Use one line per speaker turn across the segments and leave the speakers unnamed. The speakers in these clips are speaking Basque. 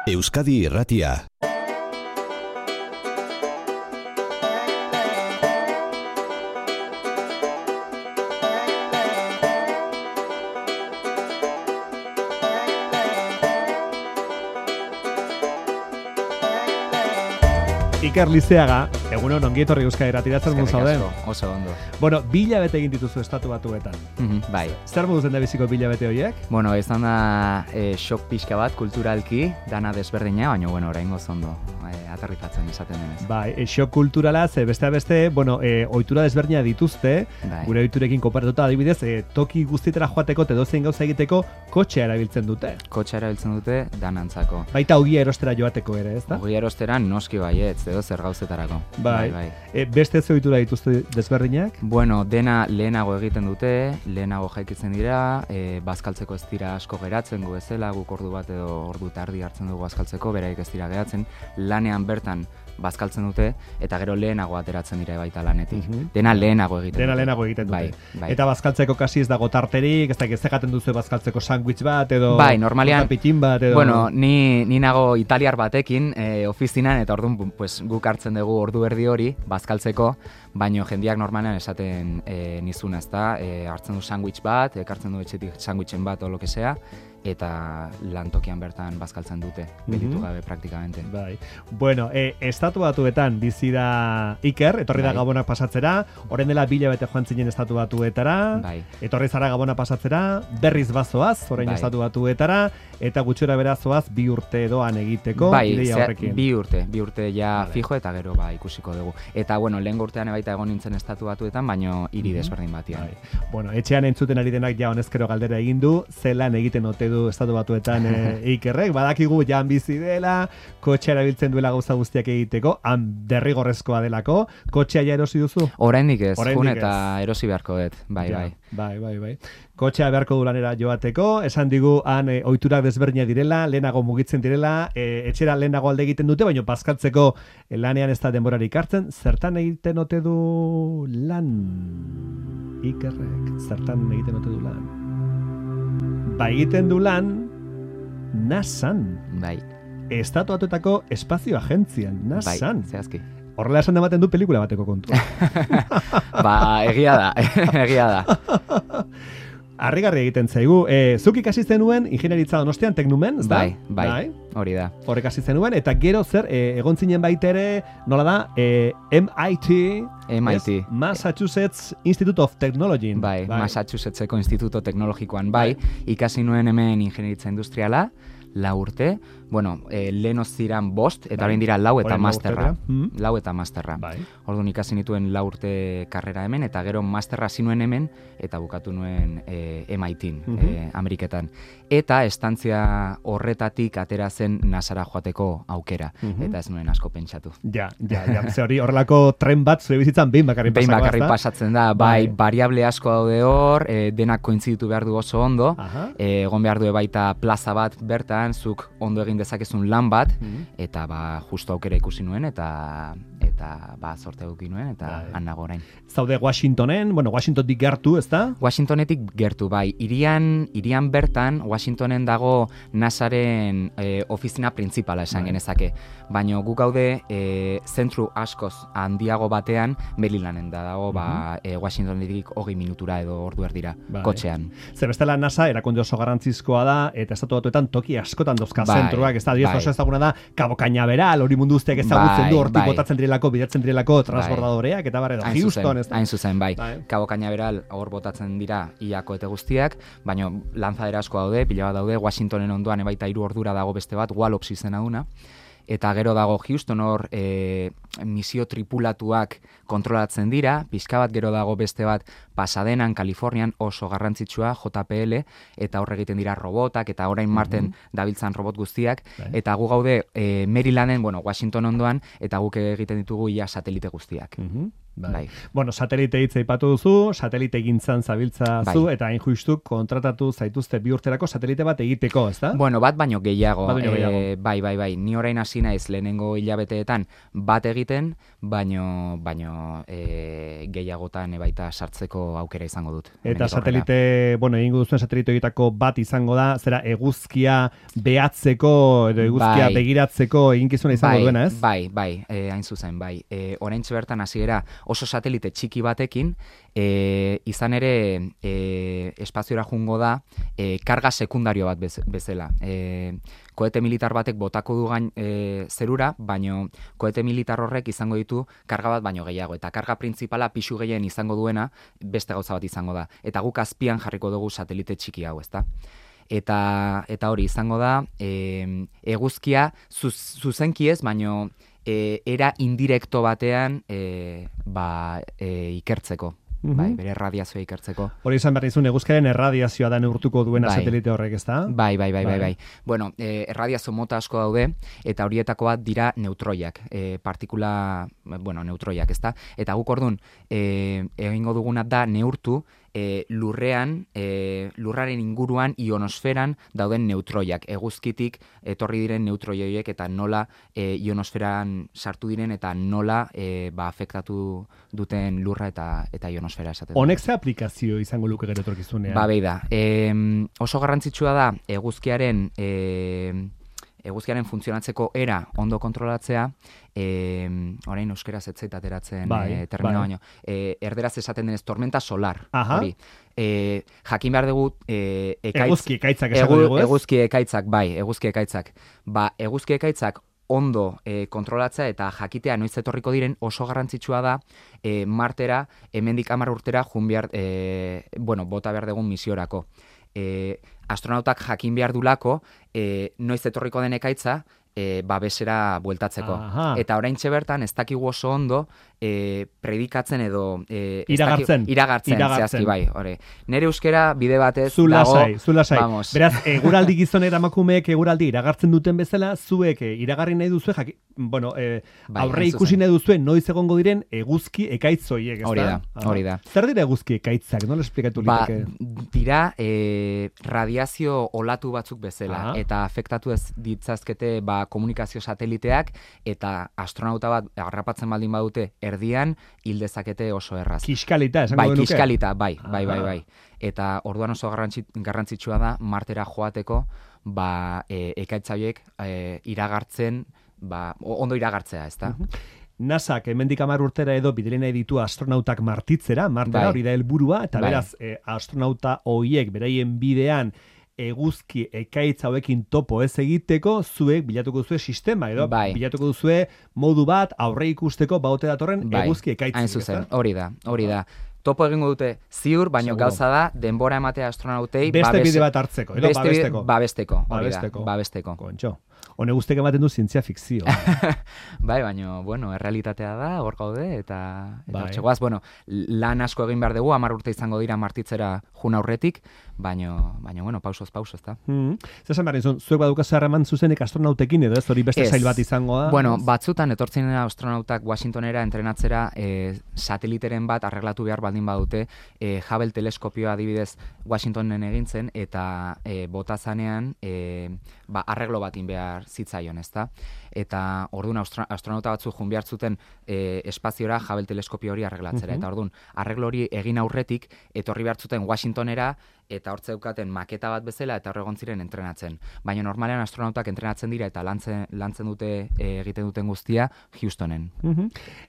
Euskadi Irratia.
Iker Lizeaga, egunon ongi etorri Euskadi Irratia zer modu zauden?
Oso ondo.
Bueno, 2 hilabete egin dituzu Estatu Batuetan.
Bai.
Zer modu zen da biziko 2 hilabete horiek?
Bueno, izan da shock pixka bat kulturalki, dana desberdina, baina bueno, oraingoz ondo aterrizatzen izaten denez.
Bai, shock kulturala, ze besteak beste, bueno, ohitura desberdina dituzte,
Bai.
gure ohiturekin konparatuta adibidez, toki guztietara joateko eta edozein gauza egiteko kotxea erabiltzen dute.
Kotxea erabiltzen dute danantzako.
Baita ogia erostera joateko ere, ezta?
Ogia erosteran noski baietz, edo zer gauzetarako.
Bai. Beste ze ohitura dituzte desberdinak?
Bueno, dena lehenago egiten dute, lehenago jaikitzen dira, bazkaltzeko ez dira asko geratzen gu bezala, guk ordu bat edo ordu tardi hartzen dugu bazkaltzeko, beraik ez dira geratzen, lanean bertan bazkaltzen dute, eta gero lehenago ateratzen dira baita lanetik. Dena lehenago egiten
Dena
dute.
lehenago egiten dute.
Bai.
Eta bazkaltzeko kasi ez dago tarterik, ez da egaten duzu bazkaltzeko sandwich bat, edo
Bai, normalean,
pitin bat, edo...
Bueno, ni nago italiar batekin ofizinan, eta orduan pues, guk hartzen dugu ordu erdi hori bazkaltzeko, baino jendiak normalean esaten nizuna, ezta? Hartzen du sandwich bat, ekartzen du etxetik sandwichen bat o lo que sea, eta lantokian bertan bazkaltzen dute, gelditu gabe praktikamente.
Bai. Bueno, Estatu Batuetan bizi da Iker, etorri da
Bai.
Gabonak pasatzera, orain dela 2 hilabete joan zinen Estatu Batuetara,
Bai.
etorri zara Gabona pasatzera, berriz bazoaz, orain
Bai.
Estatu Batuetara, eta gutxora berazoaz 2 urte doan egiteko,
Bai,
ideia horrekin.
2 urte ja
Vale.
fijo, eta gero ikusiko dugu. Eta bueno, lehen urtean baita egon nintzen Estatu Batuetan, baino hiri desberdin batian.
Bai. Bueno, etxean entzuten ari denak ja honezkero galdera egin du, zelan egiten ote du Estatu Batuetan Ikerrek, badakigu jan bizi dela, kotxea erabiltzen duela gauza guztiak egiteko, han derrigorrezkoa delako, kotxea ja erosi duzu?
Oraindik ez,
Oraindik
jun
ez.
eta erosi beharko dut, bai.
Bai. Kotxea beharko du lanera joateko, esan digu han ohiturak desberdina direla, lehenago mugitzen direla, etxera lehenago alde egiten dute, baina bazkaltzeko lanean ez da denborarik hartzen, zertan egiten ote du lan? Ikerrek, zertan egiten ote du lan? Ba egiten du lan NASAn,
Bai,
Estatu Batuetako Espazio Agentzian, NASAn.
zehazki.
Horrela esan ematen du pelikula bateko kontua.
Ba, egia da.
Harrigarri egiten zaigu. Zuk ikasi zenuen ingenieritza Donostian Teknumen, ezta?
Bai, hori da.
Horrek hasi zenuen, eta gero zer, egon zinen baita ere, nola da, MIT,
MIT.
Massachusetts Institute of Technology.
Bai, Massachusettseko Instituto Teknologikoan ikasi nuen hemen ingenieritza industriala, 4 urte, bueno, lehen ziran 5, eta orain dira 4 eta
Orain
masterra.
urtera.
4 eta masterra.
Bai.
Orduan ikasi nituen 4 urte karrera hemen, eta gero masterra hasi nuen hemen, eta bukatu nuen MIT-n, Ameriketan. Eta estantzia horretatik atera zen NASAra joateko aukera, eta ez nuen asko pentsatu.
Ja, ze hori horrelako tren bat zure bizitzan behin bakarrik
Behin
pasako,
bakarrik
ezta?
pasatzen da, bai, variable asko daude hor, denak kointziditu behar du oso ondo,
Aha.
egon behar du baita plaza bat bertan, zuk ondo egin dezakezun lan bat, eta justo aukera ikusi nuen, eta sorte eduki nuen, eta han nago orain.
Zaude Washingtonen, bueno, Washingtonik gertu, ezta?
Washingtonetik gertu, bai. Irian bertan, Washingtonen dago NASAren ofizina printzipala esan genezake. Baina guk gaude zentru askoz handiago batean, Marylanden dago, Washingtonetik 20 minutura edo ordu erdira, kotxean.
Zer bestela NASA erakunde oso garrantzizkoa da, eta Estatu Batuetan toki askotan dozka
Bai,
zentruak, ez da,
bai.
oso ezaguna da, Cabo Cañaveral, hori mundu guztiak ezagutzen du, hortik
bai.
botatzen direlako, bidatzen direlako transbordadoreak, eta barredo, Houston, ez da.
Hain zuzen, bai.
Bai.
Cabo Cañaveral hor botatzen dira iako eta guztiak, baina lanzadera asko daude, pila bat daude, Washingtonen ondoan baita 3 ordura dago beste bat, Wallops izena duna, eta gero dago Houston hor misio tripulatuak kontrolatzen dira, pixka bat gero dago beste bat Pasadenan, Kalifornian oso garrantzitsua, JPL, eta hor egiten dira robotak, eta orain Marten dabiltzan robot guztiak, eta gu gaude Marylanden, bueno, Washington ondoan, eta guk egiten ditugu ia satelite guztiak. Bai.
Bueno, satelite hitza aipatu duzu, satelite gintzan zabiltza zu,
Bai.
eta hain justu kontratatu zaituzte 2 urterako satelite bat egiteko, ezta?
Bueno, bat baino gehiago.
Bat baino gehiago.
Bai. Ni orain hasi naiz lehenengo hilabeteetan bat egiten, baino gehiagotan baita sartzeko aukera izango dut.
Eta satelite, bueno, egingo duzuen satelite horietako bat izango da, zera eguzkia behatzeko, edo eguzkia begiratzeko eginkizuna izango duena, ez?
Bai, hain zuzen, bai. Oraintxe bertan hasiera oso satelite txiki batekin, izan ere espaziora jungo da karga sekundario bat bezala. Koete militar batek botako du gain zerura, baino koete militar horrek izango ditu karga bat baino gehiago. Eta karga printzipala pisu gehien izango duena beste gauza bat izango da. Eta guk azpian jarriko dugu satelite txiki hau, ezta? Eta hori izango da eguzkia zuzenki ez, baino era indirekto batean ikertzeko. Bai, bere erradiazioa ikertzeko.
Hori izan behar nizun, eguzkiaren erradiazioa da neurtuko duena satelite horrek, ezta?
Bai. Bueno, erradiazio mota asko daude, eta horietako bat dira neutroiak, neutroiak, ezta? Eta guk orduan, egingo duguna da neurtu, lurraren inguruan, ionosferan dauden neutroiak, eguzkitik etorri diren neutroi horiek eta nola ionosferan sartu diren eta nola afektatu duten lurra eta ionosfera esaten.
Honek ze aplikazio izango luke gero etorkizunean?
Behi da. Oso garrantzitsua da eguzkiaren funtzionatzeko era ondo kontrolatzea, orain euskeraz etzait ateratzen termino baino, erderaz esaten denez tormenta solar. Hori. Jakin behar dugu
eguzki ekaitzak esango dugu, ez?
Eguzki ekaitzak. Eguzki ekaitzak ondo kontrolatzea eta jakitea noiz etorriko diren oso garrantzitsua da Martera, hemendik 10 urtera bota behar dugun misiorako. Astronautak jakin behar dulako noiz etorriko den ekaitza babesera bueltatzeko. Eta oraintxe bertan ez dakigu oso ondo predikatzen edo iragartzen zehazki, bai. Nere euskera bide batez
zu lasai.
Vamos.
Beraz, eguraldi gizonek emakumeek eguraldi iragartzen duten bezala, zuek iragarri nahi duzue, aurre ikusi nahi duzue noiz egongo diren eguzki ekaitz horiek, ezta?
Hori da.
Zer dira eguzki ekaitzak? Nola esplikatu liteke?
Dira radiazio olatu batzuk bezala, eta afektatu ez ditzazkete komunikazio sateliteak, eta astronauta bat harrapatzen baldin badute erdian hil dezakete oso erraz.
Kiskalita, esango genuke?
Kiskalita, bai. Eta orduan oso garrantzitsua da Martera joateko ekaitza horiek iragartzen, ondo iragartzea, ezta?
NASAk hemendik 10 urtera edo bidali nahi ditu astronautak Martitzera, Martera hori da helburua, eta beraz astronauta horiek beraien bidean eguzki ekaitz hauekin topo ez egiteko, zuek bilatuko duzue sistema, edo bilatuko duzue modu bat aurre ikusteko baute datorren eguzki ekaitz.
Hain zuzen, hori da. Topo egingo dute ziur, baino gauza da denbora ematea astronautei
beste bide bat hartzeko, edo
babesteko.
Kontxo. Hone guztek ematen du zientzia fikzio.
Baina, errealitatea da, hor gaude, eta txegoaz, lan asko egin behar dugu, 10 urte izango dira Martitzera jun aurretik, baina, pausoz, ezta?
Zesan behar nizun, zuek badukazu harreman zuzenek astronautekin, edo ez hori beste sail bat izangoa?
Batzutan etortzen dira astronautak Washingtonera entrenatzera sateliteren bat arreglatu behar baldin badute, Hubble teleskopioa adibidez Washingtonen egintzen, eta botazanean arreglo batin behar zitzaion, ezta? Eta orduan astronauta batzuk joan behar zuten espaziora Hubble teleskopio hori arreglatzera. Eta orduan, arreglo hori egin aurretik, etorri behar zuten Washingtonera, eta hortze daukaten maketa bat bezala, eta horregon ziren entrenatzen. Baina normalean astronautak entrenatzen dira, eta lantzen dute egiten duten guztia Houstonen.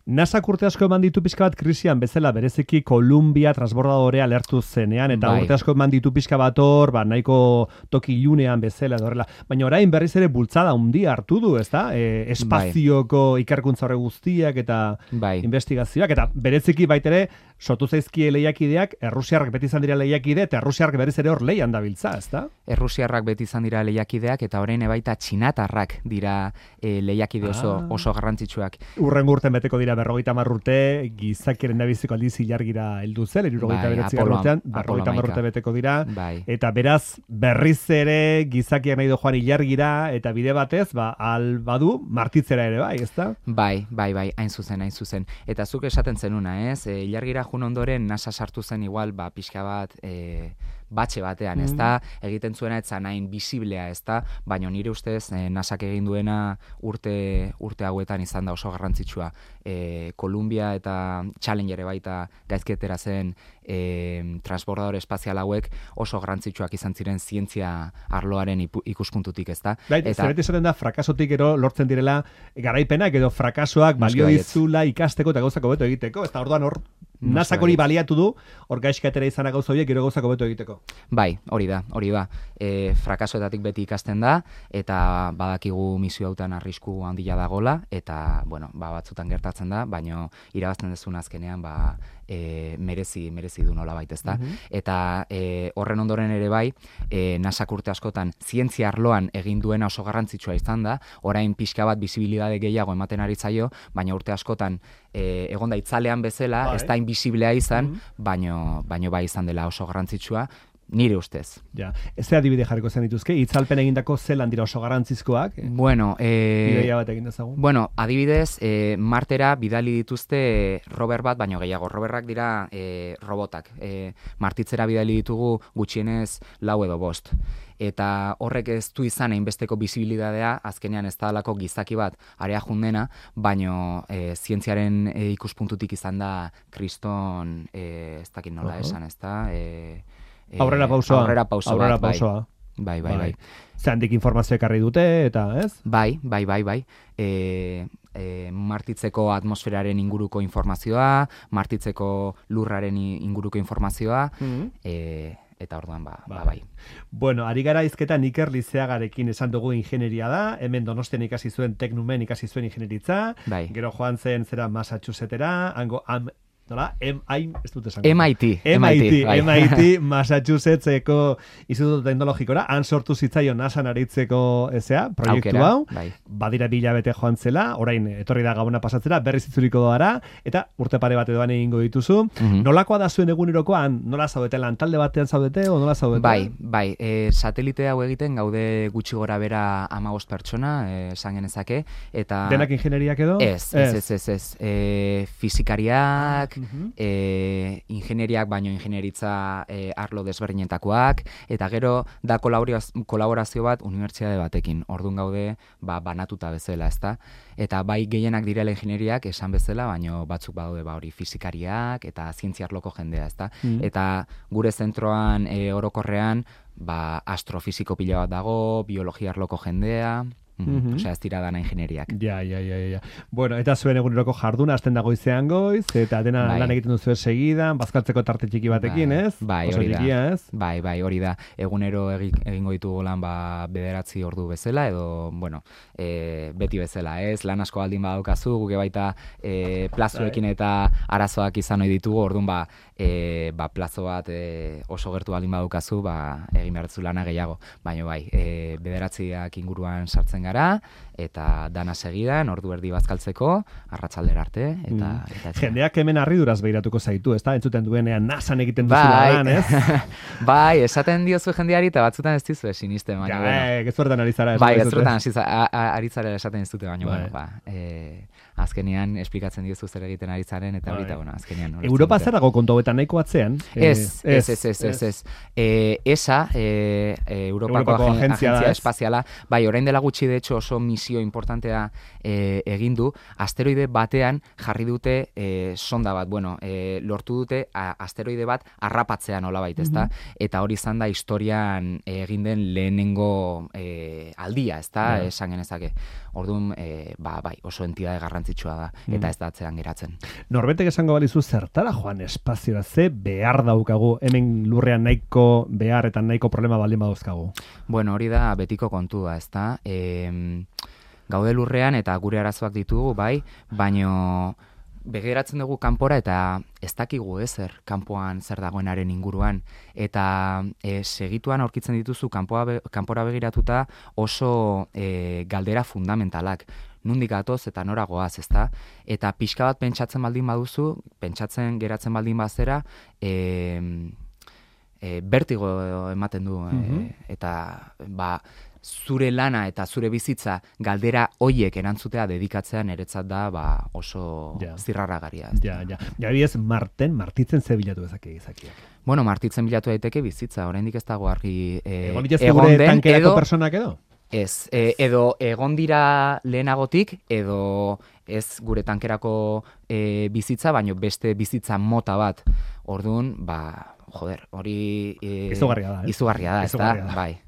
NASAk urte asko eman ditu pixka bat krisian bezala, bereziki Columbia transbordadorea lertu zenean, eta urte asko eman ditu pixka bat hor, nahiko toki ilunean bezala, edorrela. Baina orain berriz ere bultzada handia hartu du, ezta? Espazioko ikerkuntza horre guztiak eta investigazioak, eta bereziki baitere sortu zaizkie lehiakideak, Errusiarrak beti izan dira lehiakide, eta Errusiarrak berriz ere hor lehian dabiltza, ezta?
Errusiarrak beti izan dira lehiakideak, eta orain baita txinatarrak dira lehiakide oso garrantzitsuak.
Urrengo urten beteko dira 50 urte, gizakiaren nabiziko aldiz ilargira heldu zen, 79 urtean, 50 urte beteko dira, eta beraz, berriz ere gizakiak nahi do joan ilargira, eta bide batez, albadu martitzera ere bai, ezta?
Bai, hain zuzen. Eta zuk esaten zenuna, ez? Ilargira jun ondoren NASA sartu zen igual, pixka bat, batxe batean, ezta? Egiten zuena etzan hain bisiblea, ezta? Baina nire ustez, NASAk egin duena urte hauetan izan da oso garrantzitsua. Columbia eta Challenger baita gaizketera zen transbordador espazial hauek oso garrantzitsuak izan ziren zientzia arloaren ikuspuntutik, ezta?
Zerbait esaten da, frakasotik ero lortzen direla garaipenak edo frakasoak balio dizula ikasteko eta gauzako beto egiteko, ezta orduan hor NASAk hori baliatu du, hor gaizkatera izana gauza horiek gero gauzako beto egiteko.
Bai, hori da. Frakasoetatik beti ikasten da, eta badakigu misio hautan arrisku handia dagola, eta, batzutan gertatzen da, baina irabazten dezun azkenean, merezi du nolabait, ezta? Eta horren ondoren ere bai, NASAk urte askotan zientzia arloan egin duena oso garrantzitsua izan da, orain pixka bat bisibilidade gehiago ematen ari zaio, baina urte askotan egonda itzalean bezala, ez da inbisiblea izan, baino bai izan dela oso garrantzitsua, nire ustez.
Ja, ez adibide jarriko zen dituzke, itzalpen egindako zelan dira oso garrantzizkoak?
Bidaia
bat egin dezagun.
Adibidez, Martera bidali dituzte rover bat, baino gehiago. Roverrak dira robotak. Martitzera bidali ditugu gutxienez 4 edo 5. Eta horrek ez du izan hainbesteko bisibilidadea, azkenean ez da alako gizaki bat area jundena, baino zientziaren ikuspuntutik izan da kriston, ez dakit nola esan, ez da?
Aurrera pausoa.
Bai.
Zehandik informazio ekarri dute, eta ez?
Bai. Martitzeko atmosferaren inguruko informazioa, martitzeko lurraren inguruko informazioa, eta orduan bai.
Bueno, ari gara hizketan Iker Lizeagarekin esan dugu ingenieria da, hemen Donostian ikasi zuen Teknumen ikasi zuen ingenieritza, gero joan zen zera Massachusettera, hango ez dut esan. MIT, Massachusettseko Instituto Teknologikora, han sortu zitzaio NASAn aritzeko proiektu hau, badira 2 hilabete joan zela, orain etorri da Gabona pasatzera, berriz itzuriko doara, eta urte pare bate doan egingo dituzu. Nolakoa da zuen egunerokoan, nola zaudete, lantalde batean zaudete, o nola zaudete?
Bai, satelite hau egiten gaude gutxi gora bera 15 pertsona, esan genezake, eta...
Denak ingenieriak edo?
Ez. Fizikariak, ingenieriak baino ingenieritza arlo desberdinetakoak, eta gero da kolaborazio bat unibertsitate batekin. Orduan gaude banatuta bezala, ezta? Eta bai gehienak direla ingenieriak esan bezala, baino batzuk badaude hori fizikariak eta zientzia arloko jendea, ezta? Eta gure zentroan orokorrean astrofisiko pila bat dago, biologia arloko jendea, Osea, ez dira dana ingenieriak.
Ja. Bueno, eta zuen eguneroko jarduna, hasten dago izean goiz, eta dena lan egiten duzu segidan, bazkaltzeko tarte txiki batekin, ez?
Bai, hori da. Bai, hori da. Egunero egingo ditugu lan 9 ordu bezala, edo, beti bezala, ez? Lan asko baldin badaukazu, guke baita plazoekin eta arazoak izan ohi ditugu, orduan plazo bat oso gertu baldin badaukazu, egin behar duzu lana gehiago. Baina bai, 9 inguruan sartzen gara, eta dana segidan, ordu erdi bazkaltzeko, arratsaldera arte, eta
jendeak hemen harriduraz behiratuko zaitu, ez da? Entzuten duenean NASAn egiten duzula lan, ez?
Bai, esaten diozu jendeari, eta batzutan ez dizu sinisten, baina...
Gezurretan ari zara.
Bai, gezurretan ari zara esaten ez dute, baina, azkenean esplikatzen diozu zer egiten ari zaren, eta horita, azkenean...
Europa zerago kontu hauetan nahiko atzean?
Ez. ESA, Europako Agentzia Espaziala, bai, orain dela gutxi de hecho oso misio importantea egin du, asteroide batean jarri dute sonda bat, lortu dute asteroide bat harrapatzea nolabait, ezta? Eta hori izan da historian egin den lehenengo aldia, ezta? Esan genezake. Orduan, bai, oso entidade garrantzitsua da, eta ez da atzean geratzen.
Norbetek esango balizu zertara joan espazioa, ze behar daukagu, hemen lurrean nahiko behar eta nahiko problema baldin badauzkagu?
Bueno, hori da betiko kontua, ezta? Gaude lurrean eta gure arazoak ditugu, bai, baino begiratzen dugu kanpora eta ez dakigu ezer kanpoan zer dagoenaren inguruan. Eta segituan aurkitzen dituzu kanpora begiratuta oso galdera fundamentalak. Nundik gatoz eta nora goaz, ezta? Eta pixka bat pentsatzen baldin baduzu, pentsatzen geratzen baldin bazera, bertigo ematen du. Eta zure lana eta zure bizitza galdera hoiek erantzutea dedikatzea niretzat da oso zirraragarria.
Ja. Adibidez, martitzen ze bilatu dezake gizakiak.
Bueno, martitzen bilatu daiteke bizitza, oraindik ez dago argi
egon gure tankerako personak edo?
Ez, edo egon dira lehenagotik, edo ez gure tankerako bizitza, baino beste bizitza mota bat. Orduan, hori izugarria da, ez da? Bai.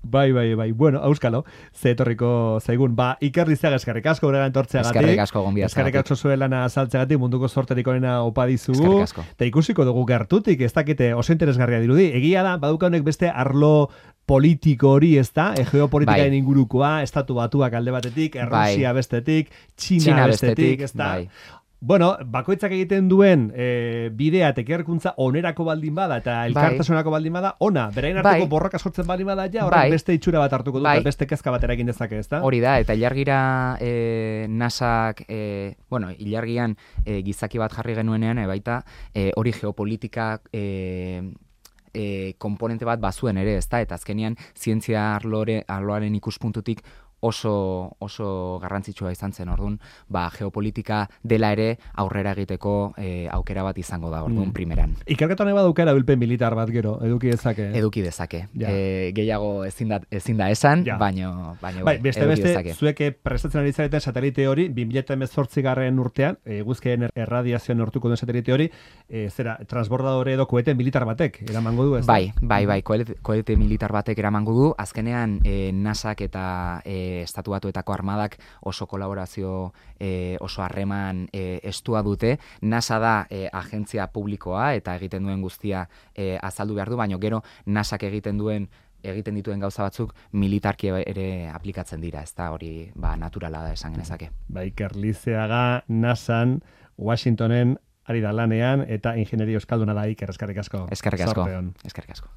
Bai. Bueno, auskalo, ze etorriko zaigun. Iker Lizeaga, eskerrik asko guregan tortzeagatik.
Eskerrik asko gonbidatzagatik.
Eskerrik asko zuen lana azaltzeagatik, munduko sorterik onena opa dizugu.
Eskerrik asko.
Eta ikusiko dugu gertutik, ez dakite oso interesgarria dirudi. Egia da, baduka honek beste arlo politiko hori, ez da? Geopolitikaren ingurukoa, estatu batuak alde batetik, Errusia bestetik, Txina bestetik, ez da? Bueno, bakoitzak egiten duen bidea tekerkuntza onerako baldin bada eta elkartasunako baldin bada, ona, berain arteko borroka sortzen baldin bada ja, horrek beste itxura bat hartuko dut, beste kezka bat eragin dezake, ez da?
Hori da, eta ilargira nasak, ilargian gizaki bat jarri genuenean, baita, hori geopolitika komponente bat bazuen ere, ez da? Eta azkenean, zientzia arloaren ikuspuntutik oso garrantzitsua izan zen, orduan, geopolitika dela ere aurrera egiteko aukera bat izango da, orduan, primeran.
Ikerketa honek baduka erabilpen militar bat gero, eduki dezake?
Eduki dezake. Gehiago ezin da esan, baino
beste, zueke prestatzen ari zareten satelite hori, 2018 urtean, guzkien erradiazioan hortuko duen satelite hori, transbordadore edo koete militar batek eramango du, ez?
Bai, koete militar batek eramango du, azkenean NASAk eta Estatu Batuetako armadak oso kolaborazio, oso harreman estua dute. NASA da agentzia publikoa eta egiten duen guztia azaldu behar du, baina gero NASAk egiten dituen gauza batzuk militarki ere aplikatzen dira, ez da hori naturala da esan genezake.
Iker Lizeaga NASAn, Washingtonen ari da lanean eta ingenieria euskalduna da Iker, eskerrik asko.
Eskerrik asko.